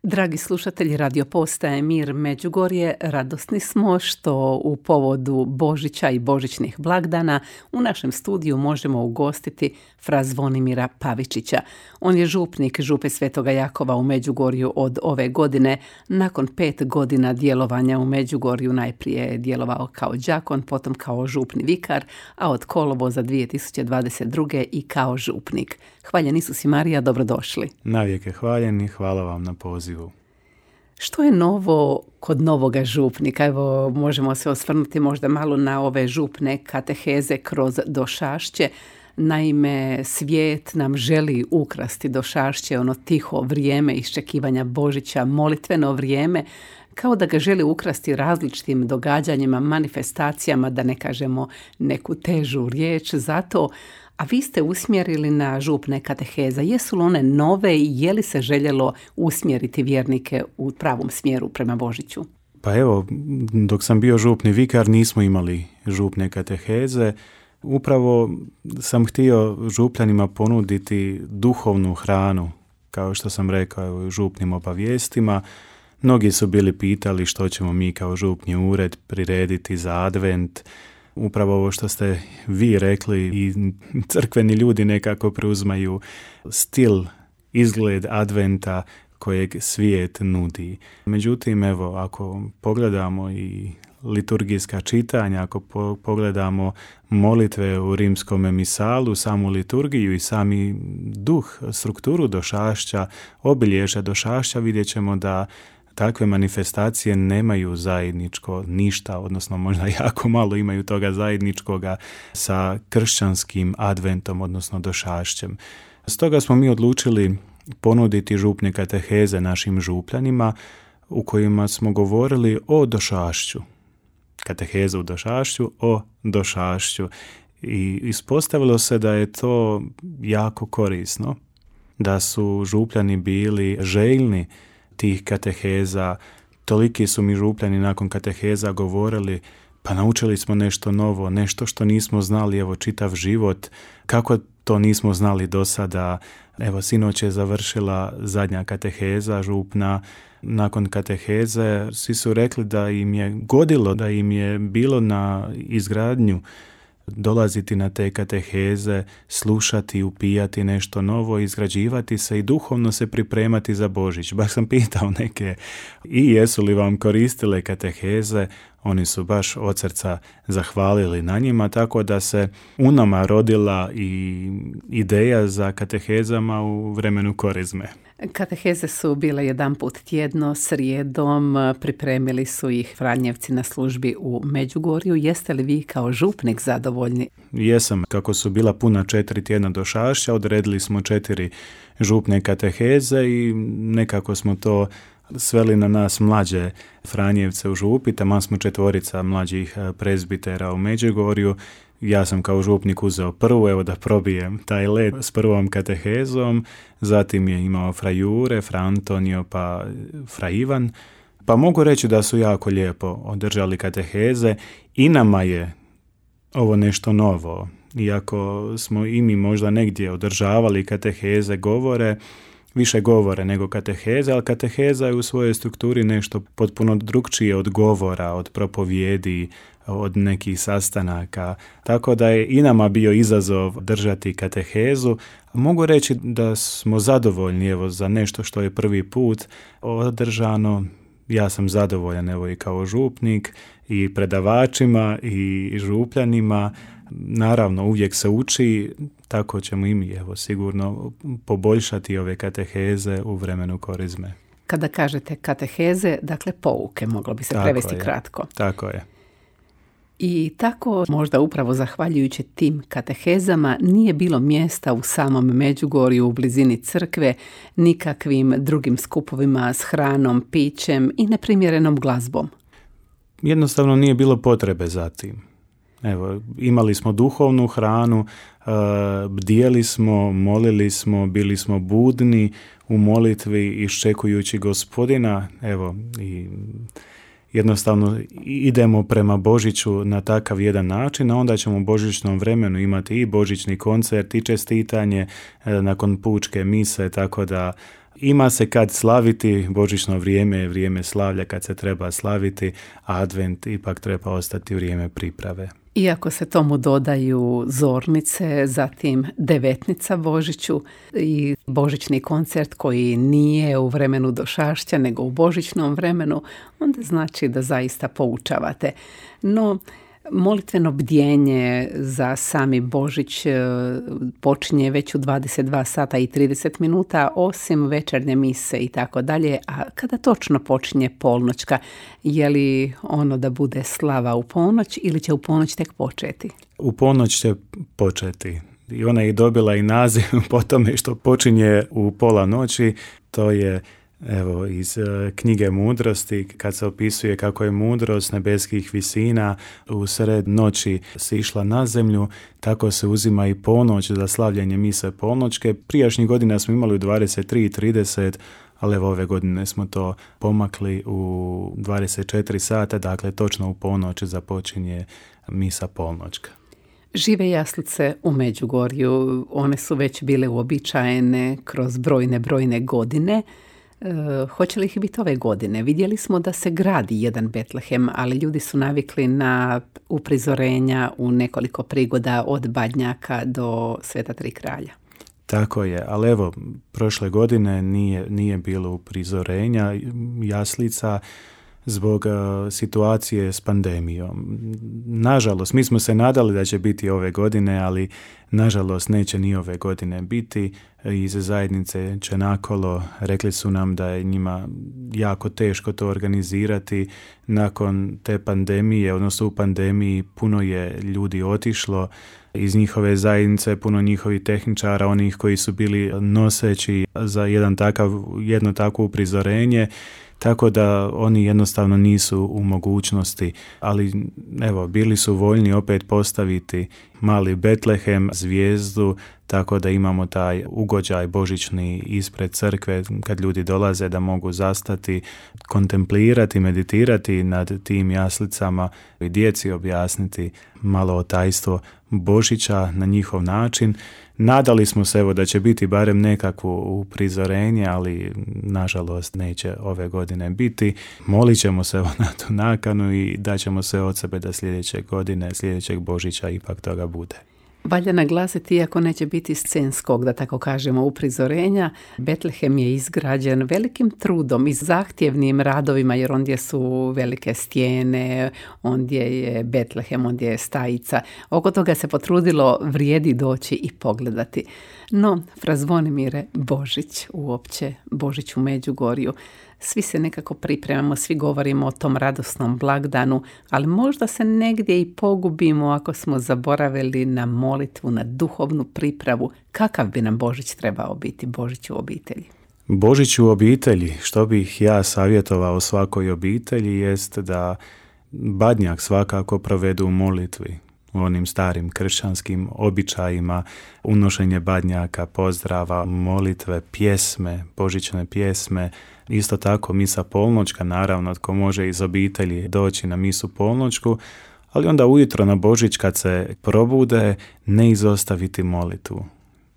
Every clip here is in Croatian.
Dragi slušatelji Radio Postaje Mir Međugorje, radosni smo što u povodu Božića i božićnih blagdana u našem studiju možemo ugostiti fra Zvonimira Pavičića. On je župnik Župe Svetoga Jakova u Međugorju od ove godine. Nakon 5 godina djelovanja u Međugorju najprije je djelovao kao đakon, potom kao župni vikar, a od kolovoza 2022. i kao župnik. Hvaljen Isus i Marija, dobrodošli. Navijek je hvaljen i hvala vam na pozivu. Što je novo kod novoga župnika? Evo, možemo se osvrnuti možda malo na ove župne kateheze kroz došašće. Naime, svijet nam želi ukrasti došašće, ono tiho vrijeme iščekivanja Božića, molitveno vrijeme, kao da ga želi ukrasti različitim događanjima, manifestacijama, da ne kažemo neku težu riječ. Zato, a vi ste usmjerili na župne kateheza. Jesu li one nove i je li se željelo usmjeriti vjernike u pravom smjeru prema Božiću? Pa evo, dok sam bio župni vikar nismo imali župne kateheze. Upravo sam htio župljanima ponuditi duhovnu hranu, kao što sam rekao u župnim obavijestima. Mnogi su bili pitali što ćemo mi kao župni ured prirediti za advent. Upravo ovo što ste vi rekli i crkveni ljudi nekako preuzmaju stil, izgled adventa kojeg svijet nudi. Međutim, evo, ako pogledamo i liturgijska čitanja, ako pogledamo molitve u rimskom misalu, samu liturgiju i sami duh, strukturu došašća, obilježja došašća, vidjet ćemo da takve manifestacije nemaju zajedničko ništa, odnosno možda jako malo imaju toga zajedničkoga sa kršćanskim adventom, odnosno došašćem. Stoga smo mi odlučili ponuditi župne kateheze našim župljanima u kojima smo govorili o došašću. Katehezu u došašću, o došašću. I ispostavilo se da je to jako korisno, da su župljani bili željni tih kateheza. Toliki su mi župljani nakon kateheza govorili, pa naučili smo nešto novo, nešto što nismo znali, evo, čitav život, kako to nismo znali do sada. Evo, sinoć je završila zadnja kateheza župna. Nakon kateheze svi su rekli da im je godilo, da im je bilo na izgradnju dolaziti na te kateheze, slušati, upijati nešto novo, izgrađivati se i duhovno se pripremati za Božić. Baš sam pitao neke i jesu li vam koristile kateheze, oni su baš od srca zahvalili na njima, tako da se u nama rodila i ideja za katehezama u vremenu korizme. Kateheze su bile jedanput tjedno, srijedom, pripremili su ih Franjevci na službi u Međugorju. Jeste li vi kao župnik zadovoljni? Jesam. Kako su bila puna 4 tjedna došašća, odredili smo 4 župne kateheze i nekako smo to sveli na nas mlađe Franjevce u župi. Taman smo 4 mlađih prezbitera u Međugorju. Ja sam kao župnik uzeo prvu, evo da probijem taj led s prvom katehezom, zatim je imao fra Jure, fra Antonio, pa fra Ivan. Pa mogu reći da su jako lijepo održali kateheze i nama je ovo nešto novo. Iako smo i mi možda negdje održavali kateheze, govore, više govore nego kateheze, ali kateheza je u svojoj strukturi nešto potpuno drukčije od govora, od propovjedi, od nekih sastanaka. Tako da je i nama bio izazov držati katehezu. Mogu reći da smo zadovoljni evo, za nešto što je prvi put održano. Ja sam zadovoljan evo, i kao župnik i predavačima i župljanima. Naravno, uvijek se uči, tako ćemo i mi evo, sigurno poboljšati ove kateheze u vremenu korizme. Kada kažete kateheze, dakle pouke, moglo bi se prevesti kratko. Tako je. I tako, možda upravo zahvaljujući tim katehezama, nije bilo mjesta u samom Međugorju, u blizini crkve, nikakvim drugim skupovima s hranom, pićem i neprimjerenom glazbom. Jednostavno nije bilo potrebe za tim. Evo, imali smo duhovnu hranu, bdjeli smo, molili smo, bili smo budni u molitvi iščekujući Gospodina, evo, i jednostavno idemo prema Božiću na takav jedan način, a onda ćemo u božićnom vremenu imati i božićni koncert i čestitanje nakon pučke mise, tako da Ima se kad slaviti, božićno vrijeme je vrijeme slavlja kad se treba slaviti, a advent ipak treba ostati vrijeme priprave. Iako se tomu dodaju zornice, zatim devetnica Božiću i božićni koncert koji nije u vremenu došašća nego u božićnom vremenu, onda znači da zaista poučavate. No, molitveno bdjenje za sami Božić počinje već u 22 sata i 30 minuta, osim večernje mise i tako dalje. A kada točno počinje polnoćka, je li ono da bude slava u ponoć ili će u ponoć tek početi? U ponoć će početi. I ona je dobila i naziv po tome što počinje u pola noći. To je evo iz knjige Mudrosti, kad se opisuje kako je mudrost nebeskih visina u sred noći sišla na zemlju, tako se uzima i ponoć za slavljanje mise polnoćke. Prijašnjih godina smo imali u 23:30, ali evo ove godine smo to pomakli u 24 sata, dakle točno u ponoć započinje misa polnoćka. Žive jaslice u Međugorju, one su već bile uobičajene kroz brojne godine. Hoće li ih biti ove godine? Vidjeli smo da se gradi jedan Betlehem, ali ljudi su navikli na uprizorenja u nekoliko prigoda od Badnjaka do Sveta Tri kralja. Tako je, ali evo, prošle godine nije bilo uprizorenja jaslica zbog situacije s pandemijom. Nažalost, mi smo se nadali da će biti ove godine, ali nažalost neće ni ove godine biti. Iz zajednice Čenakolo rekli su nam da je njima jako teško to organizirati. Nakon te pandemije, odnosno u pandemiji, puno je ljudi otišlo iz njihove zajednice, puno njihovih tehničara, onih koji su bili noseći za jedno takvo uprizorenje, tako da oni jednostavno nisu u mogućnosti, ali evo, bili su voljni opet postaviti mali Betlehem, zvijezdu, tako da imamo taj ugođaj božićni ispred crkve kad ljudi dolaze da mogu zastati, kontemplirati, meditirati nad tim jaslicama i djeci objasniti malo o tajstvo Božića na njihov način. Nadali smo se evo da će biti barem nekakvo uprizorenje, ali nažalost neće ove godine biti. Molit ćemo se na tu nakanu i daćemo sve od sebe da sljedećeg Božića ipak toga bude. Valja naglasiti, iako neće biti scenskog, da tako kažemo, uprizorenja, Betlehem je izgrađen velikim trudom i zahtjevnim radovima, jer ondje su velike stijene, ondje je Betlehem, ondje je stajica. Oko toga se potrudilo, vrijedi doći i pogledati. No, fra Zvonimire, Božić uopće, Božić u Međugorju. Svi se nekako pripremamo, svi govorimo o tom radosnom blagdanu, ali možda se negdje i pogubimo ako smo zaboravili na molitvu, na duhovnu pripravu. Kakav bi nam Božić trebao biti, Božić u obitelji? Božić u obitelji, što bih ja savjetovao svakoj obitelji, jest da Badnjak svakako provedu u molitvi, u onim starim kršćanskim običajima, unošenje badnjaka, pozdrava, molitve, pjesme, božićne pjesme. Isto tako misa polnoćka, naravno tko može iz obitelji doći na misu polnoćku, ali onda ujutro na Božić kad se probude ne izostaviti molitvu.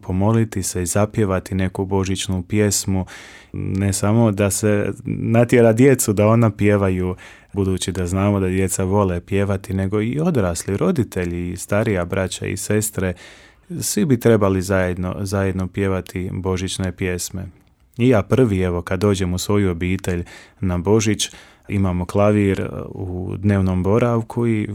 Pomoliti se i zapjevati neku božićnu pjesmu, ne samo da se natjera djecu da ona pjevaju, budući da znamo da djeca vole pjevati, nego i odrasli, roditelji, i starija braća i sestre, svi bi trebali zajedno pjevati božićne pjesme. I ja prvi, evo, kad dođem u svoju obitelj na Božić, imamo klavir u dnevnom boravku i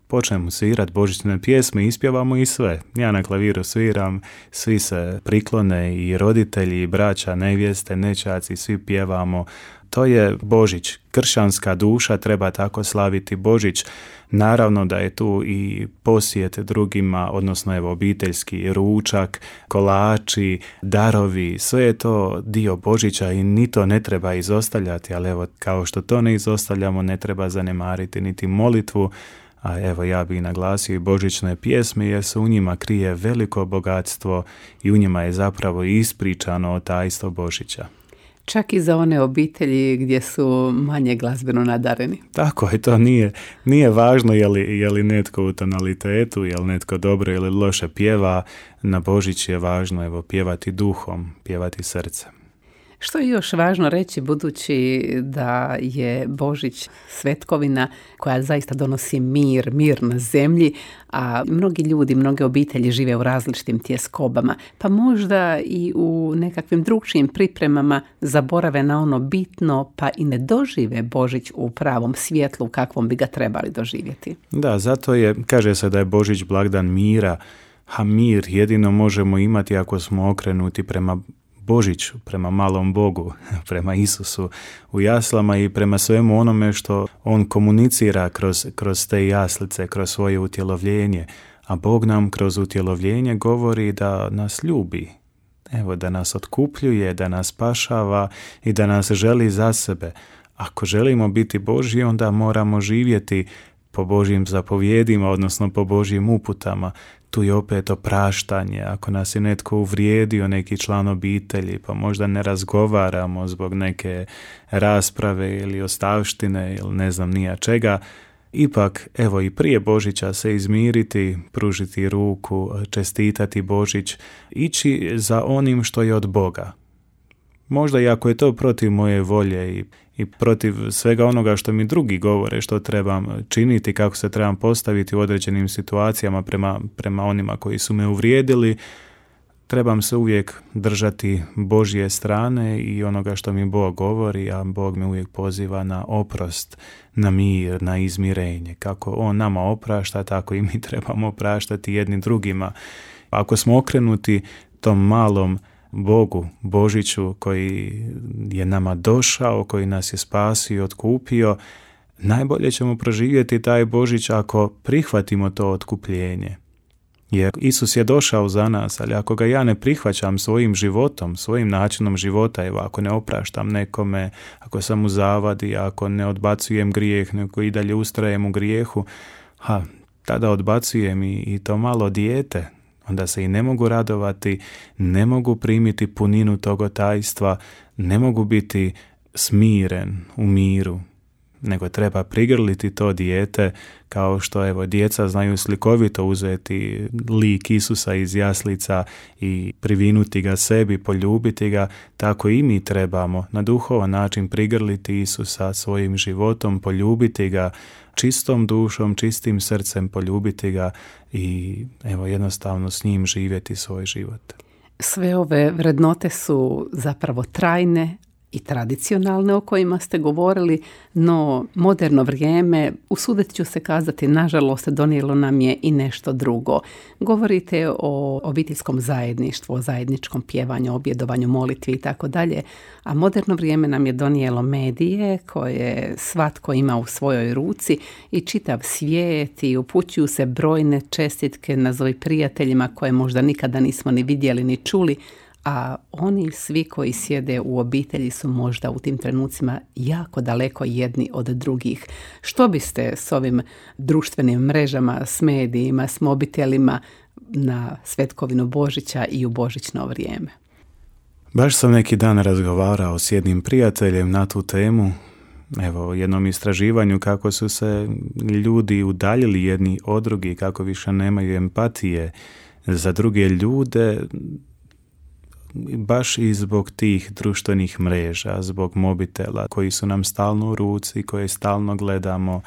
počnemo svirati božićne pjesme, ispjevamo i sve. Ja na klaviru sviram, svi se priklone, i roditelji, i braća, nevjeste, nećaci, svi pjevamo. To je Božić. Kršćanska duša treba tako slaviti Božić. Naravno da je tu i posjet drugima, odnosno evo obiteljski ručak, kolači, darovi, sve je to dio Božića i ni to ne treba izostavljati, ali evo kao što to ne izostavljamo, ne treba zanemariti niti molitvu, a evo ja bih naglasio i božićne pjesme, jer se u njima krije veliko bogatstvo i u njima je zapravo ispričano o tajstvo Božića. Čak i za one obitelji gdje su manje glazbeno nadareni. Tako je, to nije važno je li netko u tonalitetu, je li netko dobro ili loše pjeva. Na Božić je važno pjevati duhom, pjevati srcem. Što je još važno reći, budući da je Božić svetkovina koja zaista donosi mir na zemlji, a mnogi ljudi, mnoge obitelji žive u različitim tjeskobama, pa možda i u nekakvim drugčijim pripremama zaborave na ono bitno, pa i ne dožive Božić u pravom svjetlu kakvom bi ga trebali doživjeti. Da, zato kaže se da je Božić blagdan mira, a mir jedino možemo imati ako smo okrenuti prema Božiću, prema malom Bogu, prema Isusu u jaslama i prema svemu onome što on komunicira kroz te jaslice, kroz svoje utjelovljenje. A Bog nam kroz utjelovljenje govori da nas ljubi, da nas otkupljuje, da nas spašava i da nas želi za sebe. Ako želimo biti Božji, onda moramo živjeti po Božjim zapovjedima, odnosno po Božjim uputama. Tu je opet opraštanje. Ako nas je netko uvrijedio, neki član obitelji, pa možda ne razgovaramo zbog neke rasprave ili ostavštine ili ne znam nija čega, ipak i prije Božića se izmiriti, pružiti ruku, čestitati Božić, ići za onim što je od Boga. Možda i ako je to protiv moje volje i protiv svega onoga što mi drugi govore, što trebam činiti, kako se trebam postaviti u određenim situacijama prema onima koji su me uvrijedili, trebam se uvijek držati Božje strane i onoga što mi Bog govori, a Bog me uvijek poziva na oprost, na mir, na izmirenje. Kako On nama oprašta, tako i mi trebamo opraštati jedni drugima. Ako smo okrenuti tom malom Bogu, Božiću koji je nama došao, koji nas je spasio i otkupio, najbolje ćemo proživjeti taj Božić ako prihvatimo to otkupljenje. Jer Isus je došao za nas, ali ako ga ja ne prihvaćam svojim životom, svojim načinom života, ako ne opraštam nekome, ako sam u zavadi, ako ne odbacujem grijeh, nego i dalje ustrajem u grijehu, tada odbacujem i to malo dijete. Onda se i ne mogu radovati, ne mogu primiti puninu toga tajstva, ne mogu biti smiren u miru, nego treba prigrliti to dijete kao što djeca znaju slikovito uzeti lik Isusa iz jaslica i privinuti ga sebi, poljubiti ga, tako i mi trebamo na duhovan način prigrliti Isusa svojim životom, poljubiti ga čistom dušom, čistim srcem, poljubiti ga i jednostavno s njim živjeti svoj život. Sve ove vrednote su zapravo trajne i tradicionalne o kojima ste govorili, no moderno vrijeme, usudit ću se kazati, nažalost, donijelo nam je i nešto drugo. Govorite o obiteljskom zajedništvu, o zajedničkom pjevanju, objedovanju, molitvi i tako dalje, a moderno vrijeme nam je donijelo medije koje svatko ima u svojoj ruci i čitav svijet i upućuju se brojne čestitke nazovi prijateljima koje možda nikada nismo ni vidjeli ni čuli, a oni svi koji sjede u obitelji su možda u tim trenucima jako daleko jedni od drugih. Što biste s ovim društvenim mrežama, s medijima, s mobitelima na svetkovinu Božića i u božićno vrijeme? Baš sam neki dan razgovarao s jednim prijateljem na tu temu. U jednom istraživanju kako su se ljudi udaljili jedni od drugih, kako više nemaju empatije za druge ljude, baš i zbog tih društvenih mreža, zbog mobitela koji su nam stalno u ruci, koje stalno gledamo.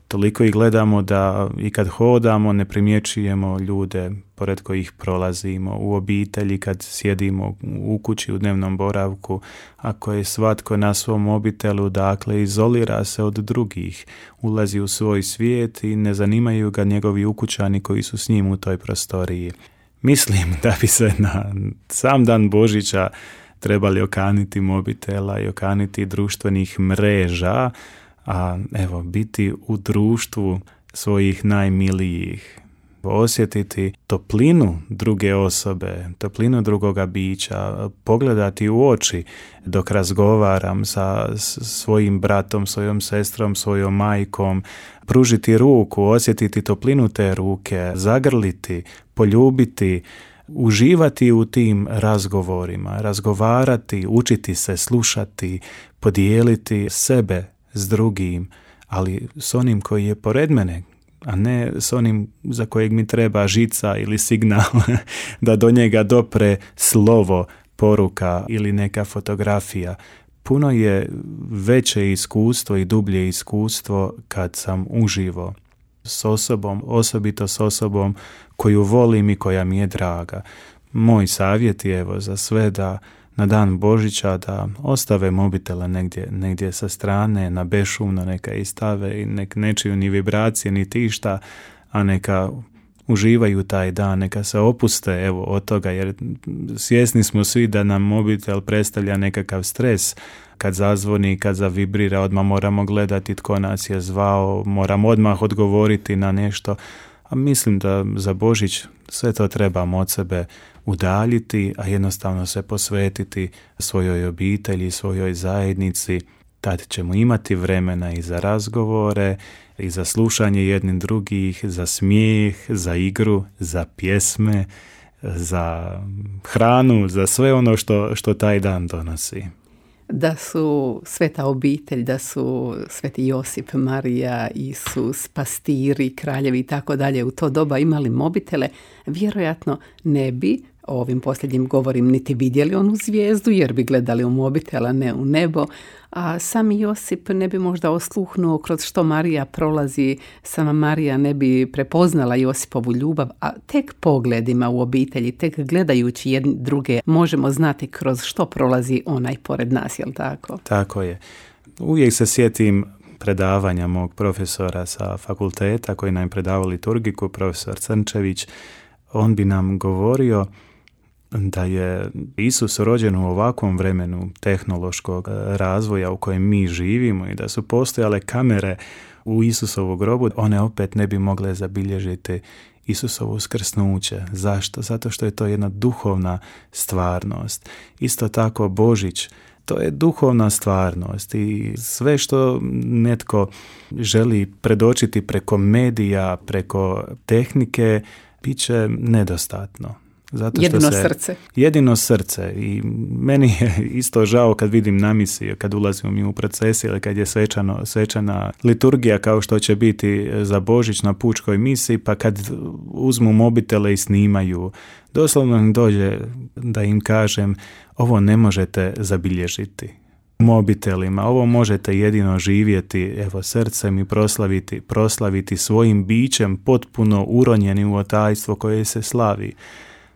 Toliko ih gledamo da i kad hodamo ne primjećujemo ljude pored kojih prolazimo, u obitelji kad sjedimo u kući u dnevnom boravku, ako je svatko na svom mobitelu, dakle izolira se od drugih, ulazi u svoj svijet i ne zanimaju ga njegovi ukućani koji su s njim u toj prostoriji. Mislim da bi se na sam dan Božića trebali okaniti mobitela i okaniti društvenih mreža, a biti u društvu svojih najmilijih, osjetiti toplinu druge osobe, toplinu drugoga bića, pogledati u oči dok razgovaram sa svojim bratom, svojom sestrom, svojom majkom, pružiti ruku, osjetiti toplinu te ruke, zagrliti, poljubiti, uživati u tim razgovorima, razgovarati, učiti se, slušati, podijeliti sebe s drugim, ali s onim koji je pored mene, a ne s onim za kojeg mi treba žica ili signal da do njega dopre slovo, poruka ili neka fotografija. Puno je veće iskustvo i dublje iskustvo kad sam uživo s osobom, osobito s osobom koju volim i koja mi je draga. Moj savjet je za sve da na dan Božića da ostave mobitele negdje sa strane, na bešumno neka istave i nek ne čuju ni vibracije ni tišta, a neka uživaju taj dan, neka se opuste od toga, jer svjesni smo svi da nam mobitel predstavlja nekakav stres. Kad zazvoni, kad zavibrira, odmah moramo gledati tko nas je zvao, moramo odmah odgovoriti na nešto. A mislim da za Božić sve to trebamo od sebe udaljiti, a jednostavno se posvetiti svojoj obitelji, svojoj zajednici. Tad ćemo imati vremena i za razgovore, i za slušanje jednih drugih, za smijeh, za igru, za pjesme, za hranu, za sve ono što taj dan donosi. Da su sveta obitelj, da su sveti Josip, Marija, Isus, pastiri, kraljevi i tako dalje u to doba imali mobitele, vjerojatno ne bi, o ovim posljednjim govorim, niti vidjeli onu zvijezdu jer bi gledali u mobitel, a ne u nebo, a sami Josip ne bi možda osluhnuo kroz što Marija prolazi, sama Marija ne bi prepoznala Josipovu ljubav, a tek pogledima u obitelji, tek gledajući jedni druge možemo znati kroz što prolazi onaj pored nas, jel tako? Tako je. Uvijek se sjetim predavanja mog profesora sa fakulteta koji nam predavao liturgiku, profesor Crnčević. On bi nam govorio da je Isus rođen u ovakvom vremenu tehnološkog razvoja u kojem mi živimo i da su postojale kamere u Isusovu grobu, one opet ne bi mogle zabilježiti Isusovo uskrsnuće. Zašto? Zato što je to jedna duhovna stvarnost. Isto tako Božić, to je duhovna stvarnost i sve što netko želi predočiti preko medija, preko tehnike, bit će nedostatno. Zato što srce. Jedino srce. I meni je isto žao kad vidim namisije, kad ulazimo mi u procesije ili kad je svečana liturgija kao što će biti za Božić na pučkoj misiji, pa kad uzmu mobitele i snimaju. Doslovno mi dođe da im kažem, ovo ne možete zabilježiti mobitelima, ovo možete jedino živjeti srcem i proslaviti svojim bićem potpuno uronjeni u otajstvo koje se slavi.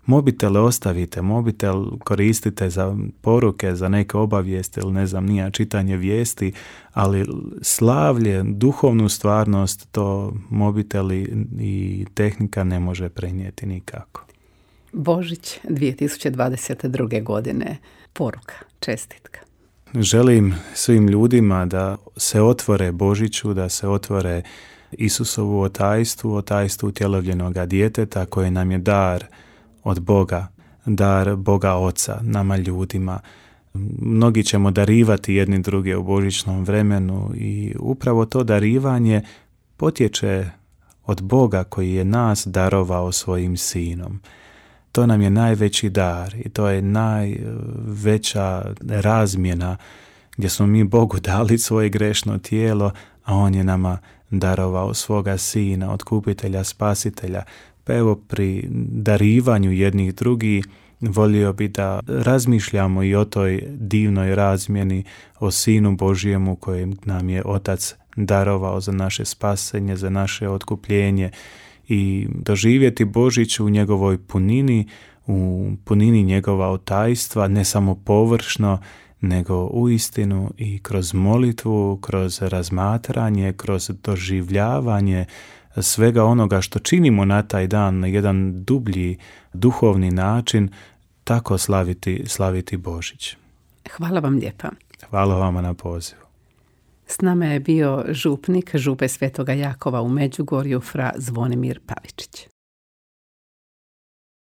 Mobitele ostavite, mobitel koristite za poruke, za neke obavijesti ili čitanje vijesti, ali slavlje, duhovnu stvarnost to mobiteli i tehnika ne može prenijeti nikako. Božić 2022. godine, poruka, čestitka. Želim svim ljudima da se otvore Božiću, da se otvore Isusovu otajstvu utjelovljenoga djeteta koje nam je dar od Boga, dar Boga Oca, nama ljudima. Mnogi ćemo darivati jedni druge u božićnom vremenu i upravo to darivanje potječe od Boga koji je nas darovao svojim sinom. To nam je najveći dar i to je najveća razmjena gdje smo mi Bogu dali svoje grešno tijelo, a On je nama darovao svoga sina, otkupitelja, spasitelja. Pa evo pri darivanju jednih drugih volio bi da razmišljamo i o toj divnoj razmjeni, o Sinu Božjemu kojeg nam je Otac darovao za naše spasenje, za naše otkupljenje i doživjeti Božić u njegovoj punini, u punini njegova otajstva, ne samo površno, nego uistinu i kroz molitvu, kroz razmatranje, kroz doživljavanje svega onoga što činimo na taj dan na jedan dublji duhovni način, tako slaviti Božić. Hvala vam lijepa. Hvala vama na pozivu. S nama je bio župnik Župe Svetoga Jakova u Međugorju, fra Zvonimir Pavičić.